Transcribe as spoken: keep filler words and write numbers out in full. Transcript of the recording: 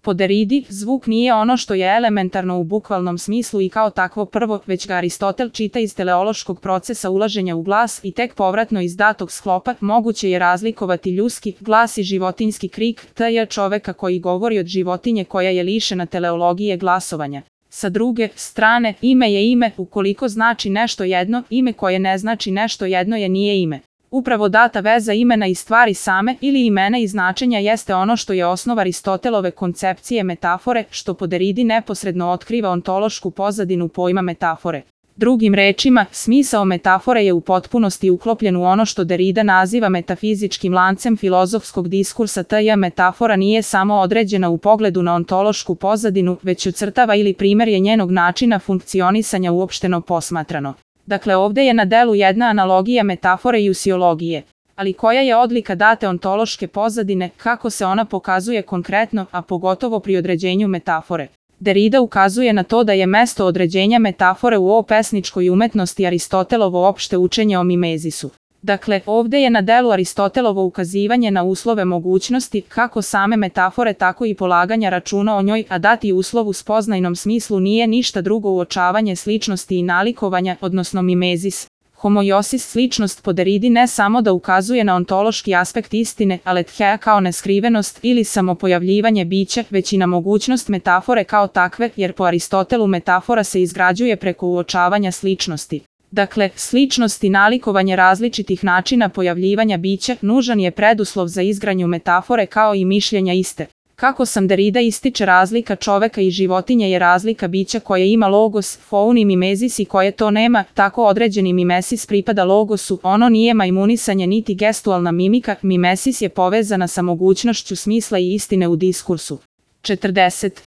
Po Derridi, zvuk nije ono što je elementarno u bukvalnom smislu i kao takvo prvo, već ga Aristotel čita iz teleološkog procesa ulaženja u glas i tek povratno iz datog sklopa moguće je razlikovati ljudski glas i životinjski krik, to je čoveka koji govori od životinje koja je lišena teleologije glasovanja. Sa druge strane, ime je ime, ukoliko znači nešto jedno, ime koje ne znači nešto jedno je nije ime. Upravo data veza imena i stvari same ili imena i značenja jeste ono što je osnov Aristotelove koncepcije metafore, što po Derridi neposredno otkriva ontološku pozadinu pojma metafore. Drugim rečima, smisao metafore je u potpunosti uklopljen u ono što Derrida naziva metafizičkim lancem filozofskog diskursa, tj. metafora nije samo određena u pogledu na ontološku pozadinu, već ocrtava ili primerje njenog načina funkcionisanja uopšteno posmatrano. Dakle, ovde je na delu jedna analogija metafore i usiologije. Ali koja je odlika date ontološke pozadine, kako se ona pokazuje konkretno, a pogotovo pri određenju metafore? Derrida ukazuje na to da je mesto određenja metafore u pesničkoj umetnosti Aristotelovo opšte učenje o mimezisu. Dakle, ovde je na delu Aristotelovo ukazivanje na uslove mogućnosti, kako same metafore tako i polaganja računa o njoj, a dati uslov u spoznajnom smislu nije ništa drugo uočavanje sličnosti i nalikovanja, odnosno mimezis. Homoiosis sličnost po Derridi ne samo da ukazuje na ontološki aspekt istine, aletheia kao neskrivenost ili samopojavljivanje bića, već i na mogućnost metafore kao takve, jer po Aristotelu metafora se izgrađuje preko uočavanja sličnosti. Dakle, sličnost i nalikovanje različitih načina pojavljivanja bića nužan je preduslov za izgradnju metafore kao i mišljenja iste. Kako sam Derrida ističe, razlika čoveka i životinje je razlika bića koje ima logos, foun i mimezis i koje to nema, tako određeni mimesis pripada logosu, ono nije majmunisanje niti gestualna mimika, mimesis je povezana sa mogućnošću smisla i istine u diskursu. četrdeset.